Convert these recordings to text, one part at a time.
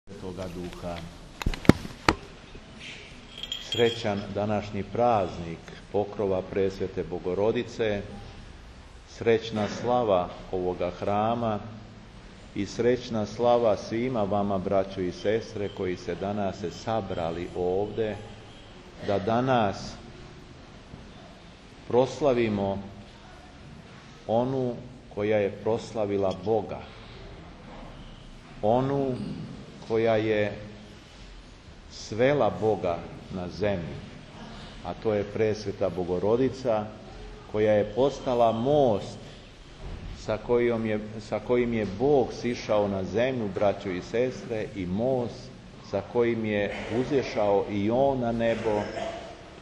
Svetoga Duha. Srećan današnji praznik pokrova Presvete Bogorodice, srećna slava ovoga hrama i srećna slava svima vama, braćo i sestre, koji se danas sabrali ovde, da danas proslavimo onu koja je proslavila Boga, onu koja je svela Boga na zemlju, a to je Presveta Bogorodica, koja je postala most sa kojim je Bog sišao na zemlju, braćo i sestre, i most sa kojim je uzešao i On na nebo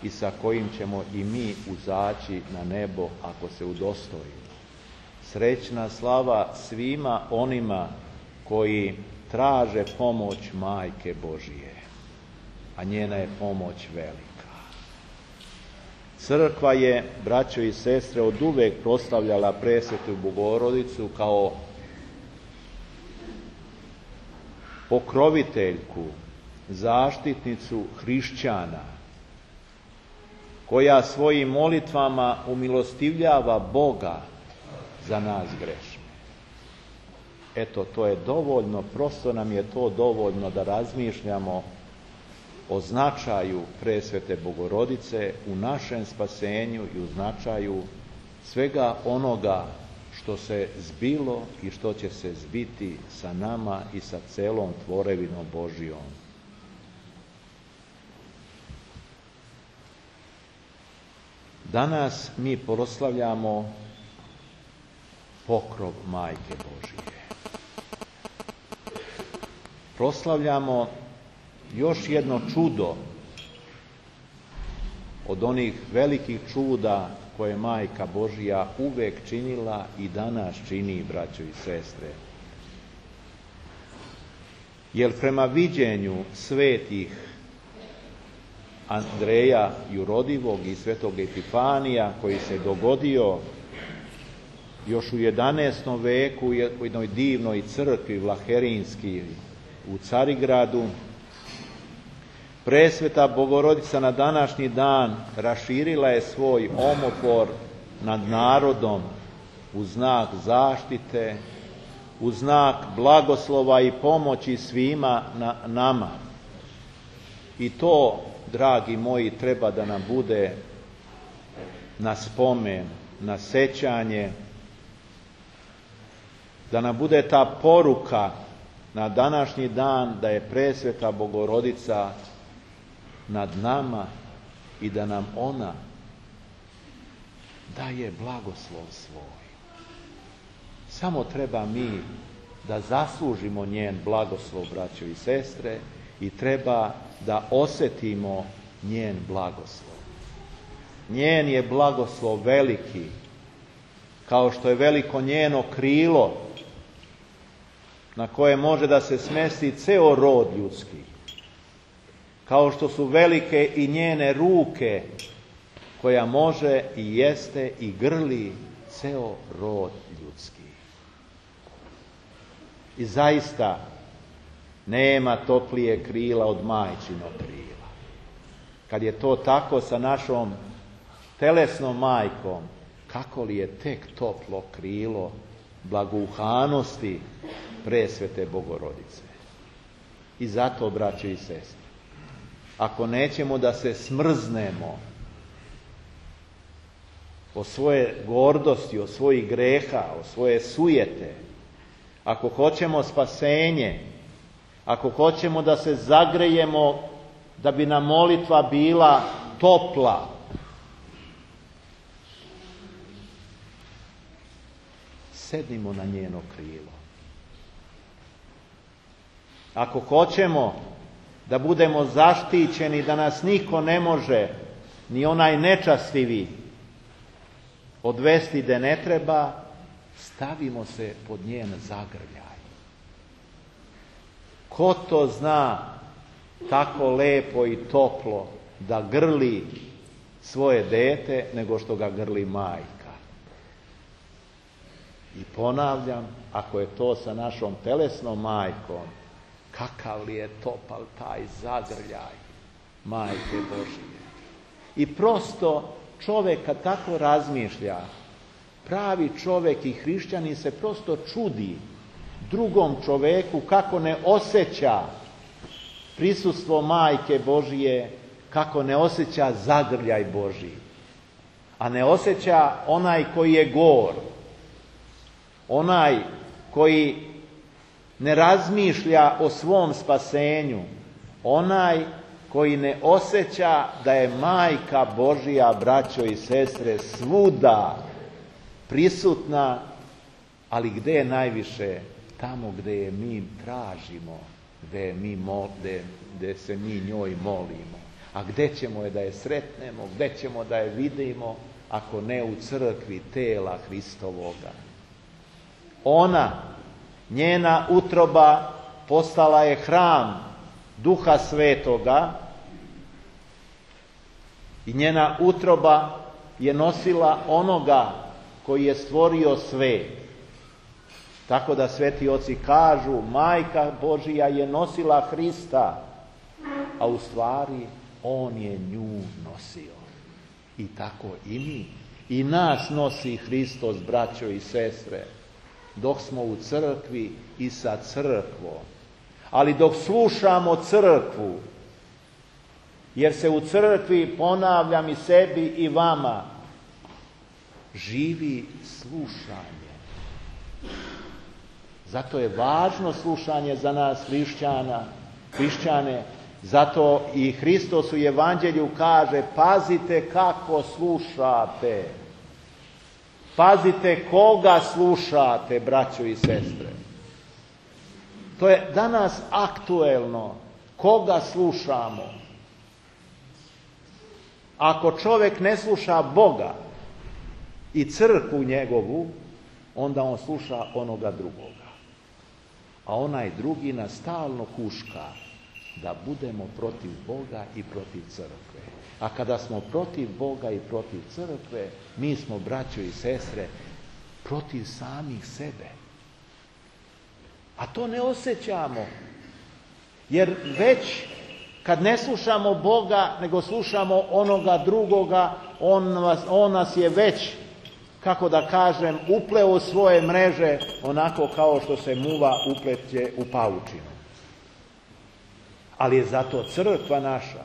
i sa kojim ćemo i mi uzaći na nebo ako se udostojimo. Srećna slava svima onima koji traže pomoć Majke Božije, a njena je pomoć velika. Crkva je, braćo i sestre, oduvek proslavljala Presvetu Bogorodicu kao pokroviteljku, zaštitnicu hrišćana, koja svojim molitvama umilostivljava Boga za nas grešne. Eto, to je dovoljno, prosto nam je to dovoljno da razmišljamo o značaju Presvete Bogorodice u našem spasenju i u značaju svega onoga što se zbilo i što će se zbiti sa nama i sa celom tvorevinom Božijom. Danas mi proslavljamo pokrov Majke Božije. Proslavljamo još jedno čudo od onih velikih čuda koje Majka Božija uvek činila i danas čini, braćo i sestre. Jer prema viđenju svetih Andreja Jurodivog i svetog Epifanija, koji se dogodio još u 11. veku u jednoj divnoj crkvi Vlaherinski u Carigradu, Presveta Bogorodica na današnji dan raširila je svoj omofor nad narodom u znak zaštite, u znak blagoslova i pomoći svima nama. I to, dragi moji, treba da nam bude na spomen, na sećanje, da nam bude ta poruka na današnji dan da je Presveta Bogorodica nad nama i da nam ona daje blagoslov svoj. Samo treba mi da zaslužimo njen blagoslov, braćo i sestre, i treba da osetimo njen blagoslov. Njen je blagoslov veliki, kao što je veliko njeno krilo na koje može da se smesti ceo rod ljudski, kao što su velike i njene ruke koja može i jeste i grli ceo rod ljudski. I zaista nema toplije krila od majčinog krila. Kad je to tako sa našom telesnom majkom, kako li je tek toplo krilo blagouhanosti Presvete Bogorodice. I zato, braće i sestre, ako nećemo da se smrznemo o svoje gordosti, o svojih greha, o svoje sujete, ako hoćemo spasenje, ako hoćemo da se zagrejemo, da bi nam molitva bila topla, sednimo na njeno krilo. Ako hoćemo da budemo zaštićeni, da nas niko ne može, ni onaj nečastivi, odvesti gde ne treba, stavimo se pod njen zagrljaj. Ko to zna tako lepo i toplo da grli svoje dete nego što ga grli majka? I ponavljam, ako je to sa našom telesnom majkom, kakav li je topal taj zagrljaj Majke Božije. I prosto čovjek kad tako razmišlja, pravi čovjek i hrišćanin se prosto čudi drugom čovjeku kako ne osjeća prisustvo Majke Božije, kako ne osjeća zagrljaj Božji. A ne osjeća onaj koji je gor, onaj koji ne razmišlja o svom spasenju, onaj koji ne osjeća da je Majka Božja, braćo i sestre, svuda prisutna, ali gdje je najviše? Tamo gdje je mi tražimo, gdje se mi njoj molimo. A gdje ćemo je da je sretnemo, gdje ćemo da je vidimo, ako ne u crkvi tela Hristovoga. Ona, njena utroba postala je hram Duha Svetoga i njena utroba je nosila onoga koji je stvorio svet. Tako da sveti oci kažu, Majka Božija je nosila Hrista, a u stvari on je nju nosio. I tako i mi. I nas nosi Hristos, braćo i sestre, dok smo u crkvi i sa crkvom. Ali dok slušamo crkvu, jer se u crkvi, ponavljam i sebi i vama, živi slušanje. Zato je važno slušanje za nas hrišćane, zato i Hristos u Evanđelju kaže, pazite kako slušate. Pazite koga slušate, braćo i sestre. To je danas aktuelno. Koga slušamo? Ako čovjek ne sluša Boga i crkvu njegovu, onda on sluša onoga drugoga. A onaj drugi nas stalno huška da budemo protiv Boga i protiv crkve. A kada smo protiv Boga i protiv crkve, mi smo, braćo i sestre, protiv samih sebe. A to ne osjećamo. Jer već kad ne slušamo Boga, nego slušamo onoga drugoga, on nas je već, kako da kažem, upleo u svoje mreže, onako kao što se muva upleće u pavučinu. Ali je zato crkva naša,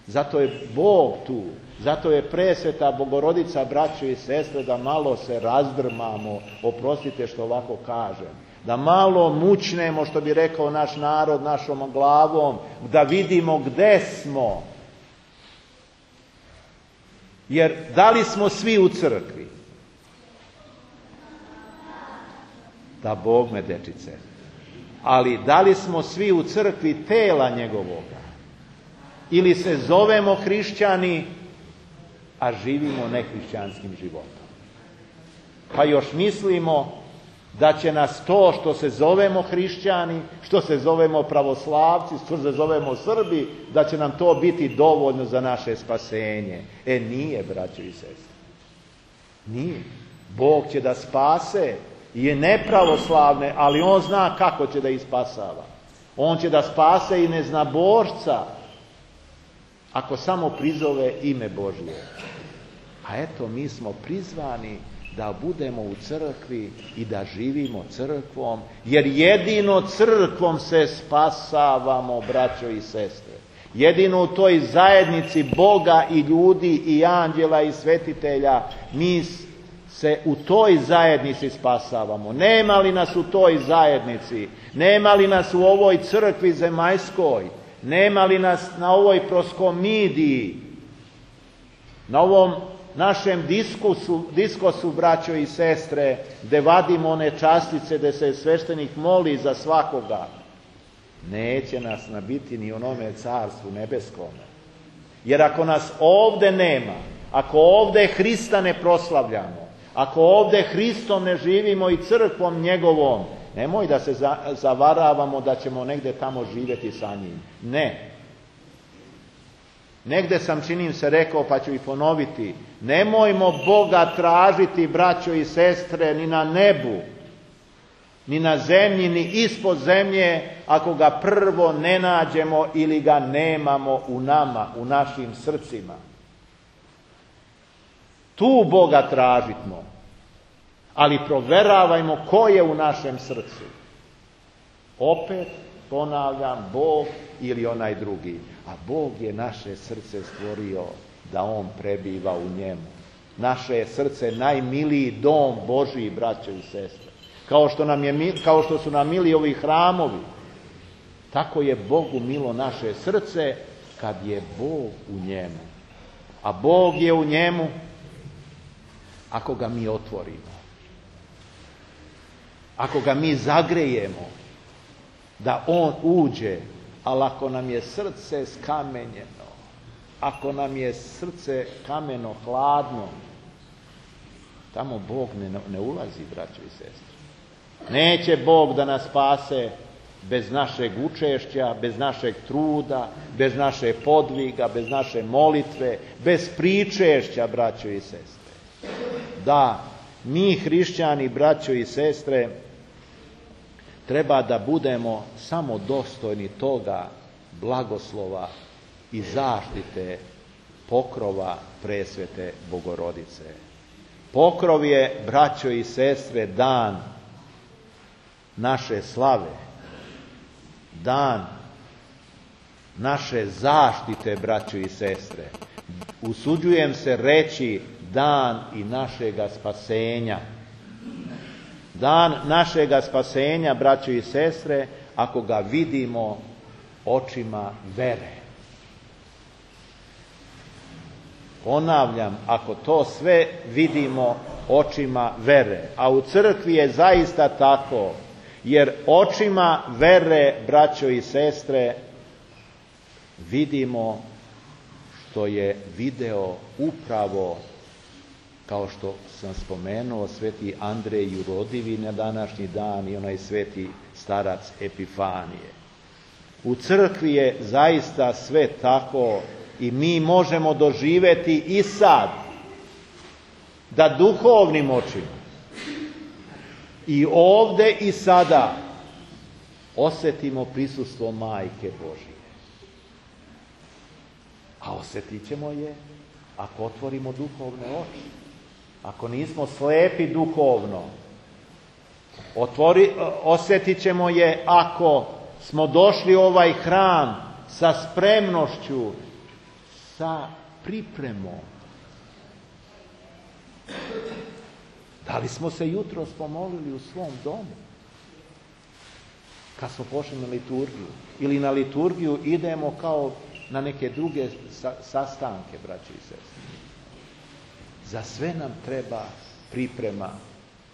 zato je Bog tu, zato je presveta Bogorodica, braćo i sestre, da malo se razdrmamo, oprostite što ovako kažem, da malo mučnemo, što bi rekao naš narod, našom glavom, da vidimo gde smo. Jer da li smo svi u crkvi? Da Bog me, dečice. Ali da li smo svi u crkvi tela njegovoga? Ili se zovemo hrišćani, a živimo nehrišćanskim životom? Pa još mislimo da će nas to što se zovemo hrišćani, što se zovemo pravoslavci, što se zovemo Srbi, da će nam to biti dovoljno za naše spasenje. Nije, braćo i sestre. Nije. Bog će da spase i nepravoslavne, ali on zna kako će da ih spasava. On će da spase i neznabošca, ako samo prizove ime Božje. A eto, mi smo prizvani da budemo u crkvi i da živimo crkvom, jer jedino crkvom se spasavamo, braćo i sestre. Jedino u toj zajednici Boga i ljudi i anđela i svetitelja mi se u toj zajednici spasavamo. Nema li nas u toj zajednici, nema li nas u ovoj crkvi zemaljskoj, nema li nas na ovoj proskomidiji, na ovom našem diskosu, braćo i sestre, gde vadimo one častice, gde se sveštenik moli za svakoga, neće nas nabiti ni onome carstvu nebeskome. Jer ako nas ovde nema, ako ovde Hrista ne proslavljamo, ako ovde Hristom ne živimo i crkvom njegovom, nemoj da se zavaravamo da ćemo negde tamo živjeti sa njim. Ne. Negde sam, činim se, rekao, pa ću i ponoviti, nemojmo Boga tražiti, braćo i sestre, ni na nebu, ni na zemlji, ni ispod zemlje, ako ga prvo ne nađemo ili ga nemamo u nama, u našim srcima. Tu Boga tražitmo, ali proveravajmo ko je u našem srcu. Opet ponavljam, Bog ili onaj drugi. A Bog je naše srce stvorio da On prebiva u njemu. Naše je srce najmiliji dom Božiji, braćo i sestre. Kao što su nam mili ovi hramovi, tako je Bogu milo naše srce kad je Bog u njemu. A Bog je u njemu ako ga mi otvorimo. Ako ga mi zagrejemo, da On uđe, ali ako nam je srce skamenjeno, ako nam je srce kameno, hladno, tamo Bog ne ulazi, braćo i sestre. Neće Bog da nas spase bez našeg učešća, bez našeg truda, bez naše podviga, bez naše molitve, bez pričešća, braćo i sestre. Da, mi hrišćani, braćo i sestre, treba da budemo samo dostojni toga blagoslova i zaštite pokrova presvete Bogorodice. Pokrov je, braćo i sestre, dan naše slave, dan naše zaštite, braćo i sestre. Usuđujem se reći dan i našega spasenja. Dan našega spasenja, braćo i sestre, ako ga vidimo očima vere. Ponavljam, ako to sve vidimo očima vere. A u crkvi je zaista tako, jer očima vere, braćo i sestre, vidimo što je video upravo, kao što sam spomenuo, sveti Andrej Jurodivi na današnji dan i onaj sveti starac Epifanije. U crkvi je zaista sve tako i mi možemo doživjeti i sad da duhovnim očima i ovdje i sada osjetimo prisustvo Majke Božije. A osjetit ćemo je ako otvorimo duhovne oči. Ako nismo slepi duhovno, osjetit ćemo je ako smo došli u ovaj hram sa spremnošću, sa pripremom. Da li smo se jutros pomolili u svom domu? Kad smo pošli na liturgiju. Ili na liturgiju idemo kao na neke druge sastanke, braći i sestre. Za sve nam treba priprema,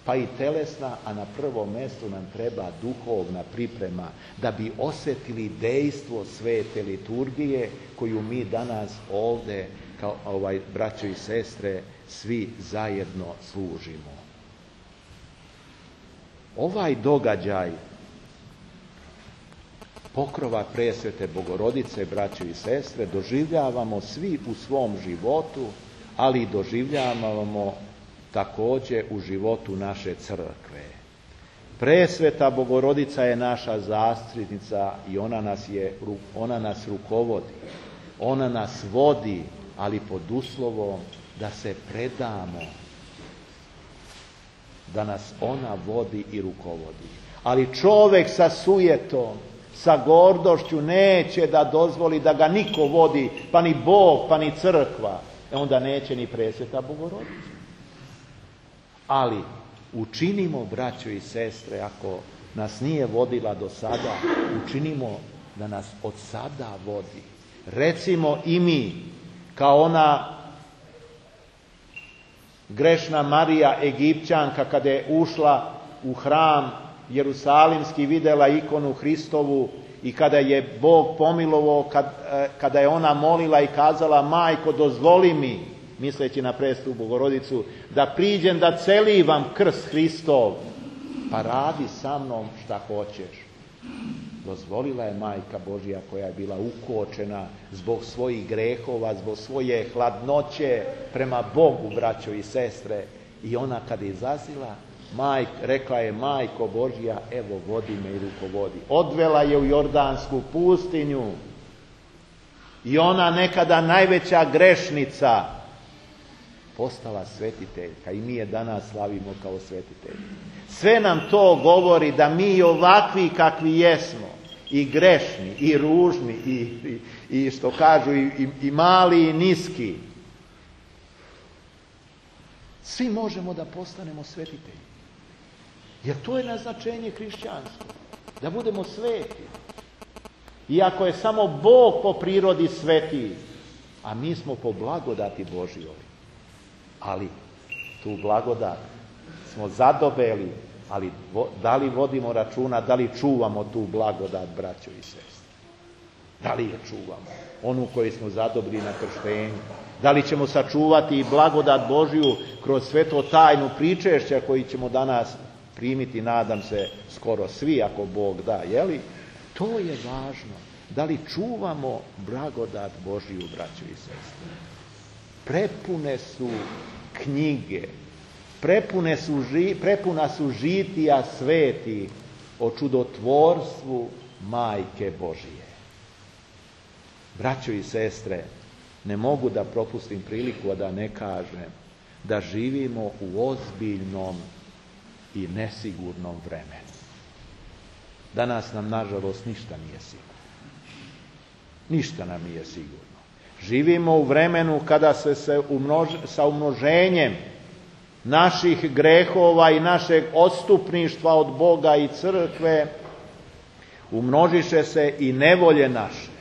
pa i telesna, a na prvom mjestu nam treba duhovna priprema, da bi osjetili dejstvo svete liturgije koju mi danas ovdje, kao braćo i sestre, svi zajedno služimo. Ovaj događaj pokrova presvete Bogorodice, braćo i sestre, doživljavamo svi u svom životu, ali doživljavamo također u životu naše crkve. Presveta Bogorodica je naša zastupnica i ona nas rukovodi. Ona nas vodi, ali pod uslovom da se predamo, da nas ona vodi i rukovodi. Ali čovjek sa sujetom, sa gordošću neće da dozvoli da ga niko vodi, pa ni Bog, pa ni crkva. Onda neće ni presveta Bogorodica. Ali učinimo, braćo i sestre, ako nas nije vodila do sada, učinimo da nas od sada vodi. Recimo i mi, kao ona grešna Marija Egipćanka, kada je ušla u hram Jerusalimski, vidjela ikonu Hristovu i kada je Bog pomilovao, kada je ona molila i kazala: Majko, dozvoli mi, misleći na presvetu Bogorodicu, da priđem da celivam krst Hristov, pa radi sa mnom šta hoćeš. Dozvolila je Majka Božja, koja je bila ukočena zbog svojih grehova, zbog svoje hladnoće prema Bogu, braćo i sestre. I ona kada je izlazila, rekla je: Majko Božja, evo vodi me i rukovodi. Odvela je u Jordansku pustinju i ona nekada najveća grešnica postala svetiteljka i mi je danas slavimo kao svetitelji. Sve nam to govori da mi ovakvi kakvi jesmo, i grešni, i ružni, i što kažu, i mali, i niski, svi možemo da postanemo svetitelji. Jer to je naznačenje hrišćanstva, da budemo sveti. Iako je samo Bog po prirodi sveti, a mi smo po blagodati Božjoj. Ali tu blagodat smo zadobeli, ali da li vodimo računa, da li čuvamo tu blagodat, braćo i sestre? Da li je čuvamo? Onu koju smo zadobili na krštenju. Da li ćemo sačuvati i blagodat Božju kroz sveto tajnu pričešća koji ćemo danas primiti, nadam se, skoro svi, ako Bog da, jeli? To je važno. Da li čuvamo blagodat Božju, braćo i sestre? Prepune su knjige, prepuna su žitija sveti o čudotvorstvu Majke Božije. Braćo i sestre, ne mogu da propustim priliku, a da ne kažem da živimo u ozbiljnom i nesigurnom vremenu. Danas nam, nažalost, ništa nije sigurno. Ništa nam nije sigurno. Živimo u vremenu kada se sa umnoženjem naših grehova i našeg odstupništva od Boga i crkve umnožiše se i nevolje naše.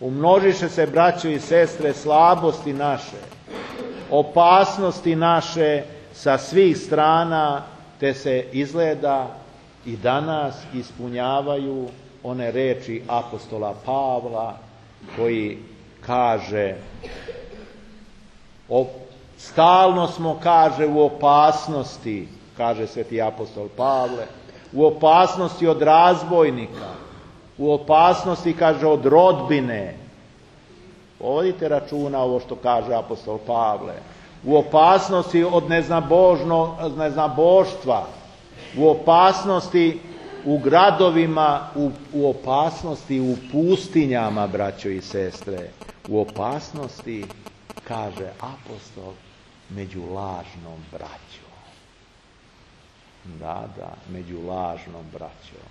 Umnožiše se, braćo i sestre, slabosti naše, opasnosti naše sa svih strana, te se izgleda i danas ispunjavaju one reči apostola Pavla koji kaže: stalno smo, kaže, u opasnosti, kaže sveti apostol Pavle, u opasnosti od razbojnika, u opasnosti, kaže, od rodbine. Povedite računa ovo što kaže apostol Pavle. U opasnosti od neznaboštva, u opasnosti u gradovima, u opasnosti u pustinjama, braćo i sestre, u opasnosti, kaže apostol, među lažnom braćom. Da, među lažnom braćom.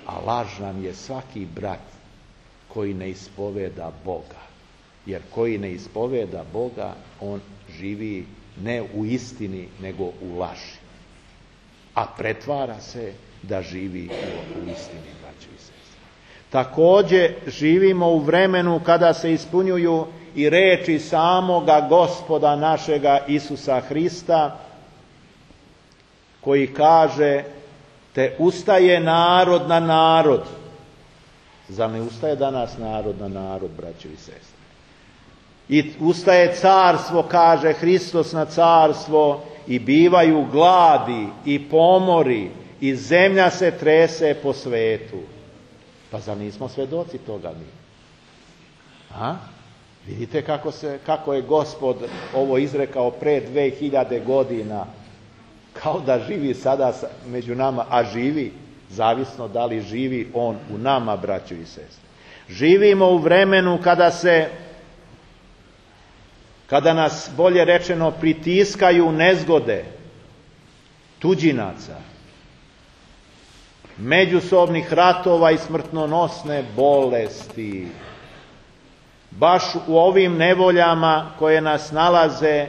A lažan je svaki brat koji ne ispoveda Boga. Jer koji ne ispoveda Boga, on živi ne u istini, nego u laži. A pretvara se da živi u istini, braćo i sestre. Također živimo u vremenu kada se ispunjuju i reči samoga Gospoda našega Isusa Hrista, koji kaže: te ustaje narod na narod. Zar ne ustaje danas narod na narod, braćo i sestre? I ustaje carstvo, kaže Hristos, na carstvo, i bivaju gladi i pomori i zemlja se trese po svetu. Pa zar nismo svedoci toga mi? Vidite kako je Gospod ovo izrekao pre 2000 godina, kao da živi sada među nama, a živi, zavisno da li živi on u nama, braćo i sestre. Živimo u vremenu kada nas, bolje rečeno, pritiskaju nezgode tuđinaca, međusobnih ratova i smrtnonosne bolesti. Baš u ovim nevoljama koje nas nalaze,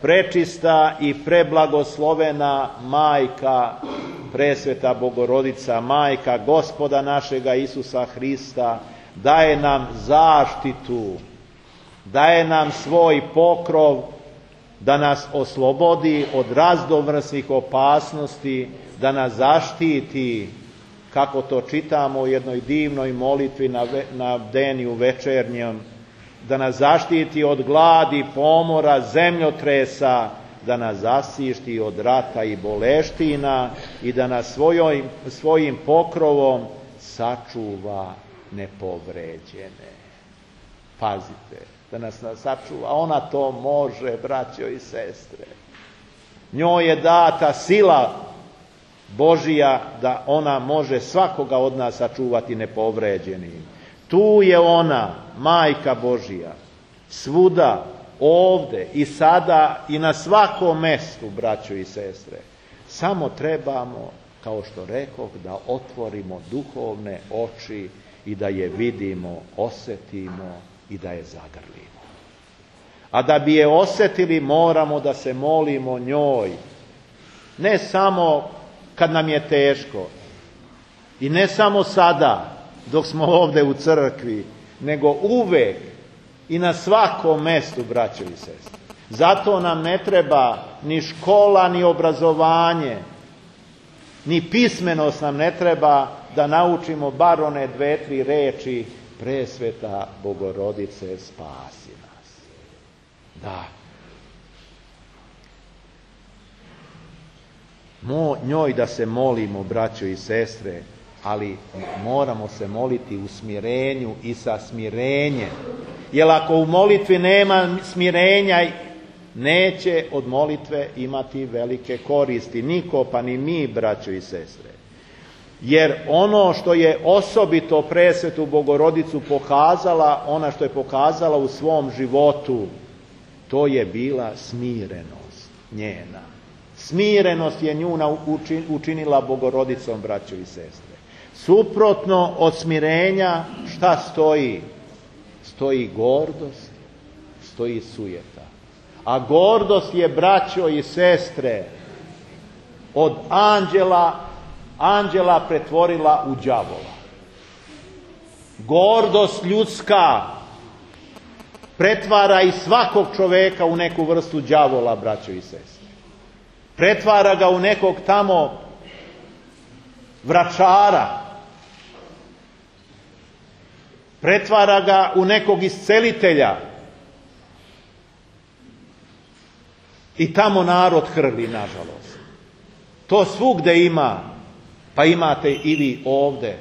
prečista i preblagoslovena Majka, presveta Bogorodica, Majka Gospoda našega Isusa Hrista, daje nam zaštitu, daje nam svoj pokrov da nas oslobodi od raznovrsnih opasnosti, da nas zaštiti, kako to čitamo u jednoj divnoj molitvi na bdeniju večernjem, da nas zaštiti od gladi, pomora, zemljotresa, da nas zaštiti od rata i boleština i da nas svojim pokrovom sačuva nepovređene. Pazite, da nas sačuva. Ona to može, braćo i sestre. Njoj je data sila Božija da ona može svakoga od nas sačuvati nepovređenim. Tu je ona, Majka Božija, svuda, ovde i sada i na svakom mestu, braćo i sestre. Samo trebamo, kao što rekoh, da otvorimo duhovne oči i da je vidimo, osetimo i da je zagrlimo. A da bi je osetili, moramo da se molimo njoj. Ne samo kad nam je teško i ne samo sada dok smo ovde u crkvi, nego uvek i na svakom mestu, braćo i sestre. Zato nam ne treba ni škola, ni obrazovanje, ni pismenost nam ne treba da naučimo bar one 2-3 reči: Presveta Bogorodice, spasi nas. Da. Njoj da se molimo, braćo i sestre, ali moramo se moliti u smirenju i sa smirenjem. Jer ako u molitvi nema smirenja, neće od molitve imati velike koristi. Niko, pa ni mi, braćo i sestre. Jer ono što je osobito Presvetu Bogorodicu pokazala, ona što je pokazala u svom životu, to je bila smirenost njena. Smirenost je nju učinila Bogorodicom, braćo i sestre. Suprotno od smirenja šta stoji? Stoji gordost, stoji sujeta. A gordost je, braćo i sestre, od anđela pretvorila u đavola. Gordost ljudska pretvara i svakog čoveka u neku vrstu đavola, braćo i sestre. Pretvara ga u nekog tamo vračara. Pretvara ga u nekog iscelitelja. I tamo narod hrli, nažalost. To svugde ima, pa imate i vi ovde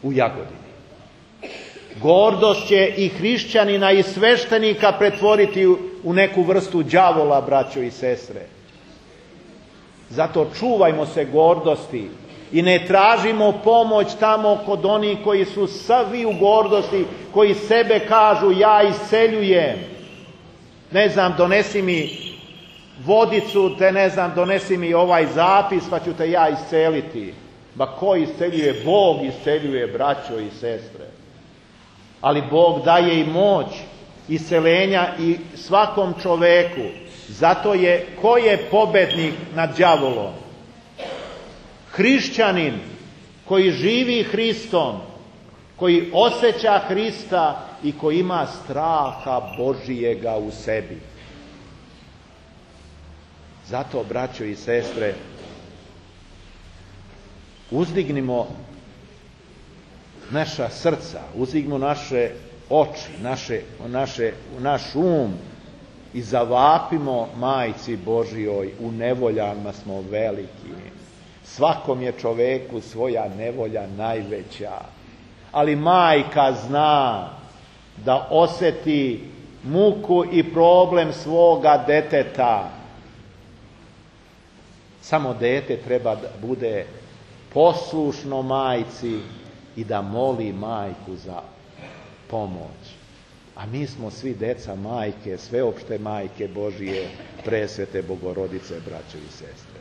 u Jagodini. Gordost će i hrišćanina i sveštenika pretvoriti u neku vrstu đavola, braćo i sestre. Zato čuvajmo se gordosti i ne tražimo pomoć tamo kod onih koji su svi u gordosti, koji sebe kažu: ja isceljujem. Ne znam, donesi mi vodicu, donesi mi ovaj zapis, pa ću te ja isceliti. Ba ko isceljuje? Bog isceljuje, braćo i sestre. Ali Bog daje i moć isceljenja i svakom čoveku. Zato ko je pobednik nad đavolom? Hrišćanin koji živi Hristom, koji osjeća Hrista i koji ima straha Božijega u sebi. Zato, braćo i sestre, uzdignimo naša srca, uzdignimo naše oči, naš um i zavapimo Majci Božijoj: u nevoljama smo veliki. Svakom je čoveku svoja nevolja najveća. Ali majka zna da osjeti muku i problem svoga deteta. Samo dete treba da bude poslušno majci i da moli majku za pomoć. A mi smo svi deca majke, sveopšte Majke Božije, Presvete Bogorodice, braćo i sestre.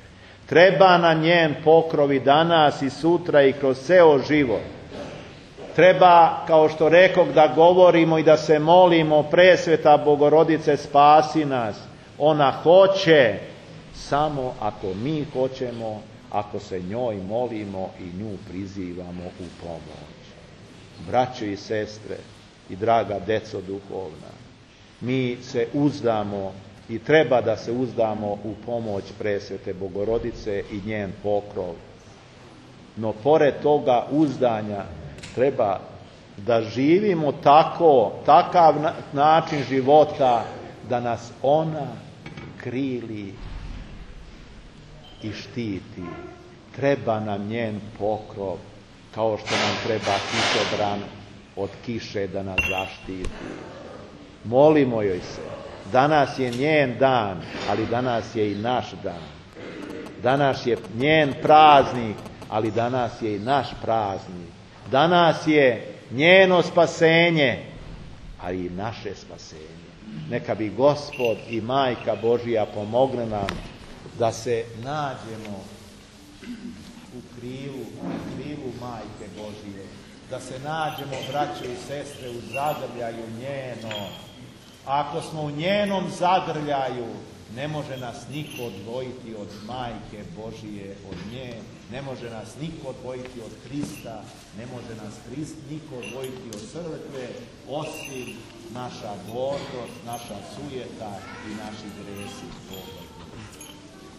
Treba na njen pokrov i danas i sutra i kroz ceo život. Treba, kao što rekoh, da govorimo i da se molimo: Presveta Bogorodice, spasi nas. Ona hoće, samo ako mi hoćemo, ako se njoj molimo i nju prizivamo u pomoć. Braćo i sestre i draga deco duhovna, mi se uzdamo i treba da se uzdamo u pomoć Presvete Bogorodice i njen pokrov. No pored toga uzdanja treba da živimo takav način života da nas ona krili i štiti. Treba nam njen pokrov, kao što nam treba kišobran od kiše da nas zaštiti. Molimo joj se, Danas je njen dan, ali danas je i naš dan. Danas je njen praznik, ali danas je i naš praznik. Danas je njeno spasenje, ali i naše spasenje. Neka bi Gospod i Majka Božija pomogne nam da se nađemo u krilu Majke Božije, da se nađemo, braćo i sestre, u zagrljaju njeno. Ako smo u njenom zagrljaju, ne može nas niko odvojiti od Majke Božije, od nje. Ne može nas niko odvojiti od Hrista, ne može nas niko odvojiti od crkve, osim naša gordost, naša sujeta i naši gresi.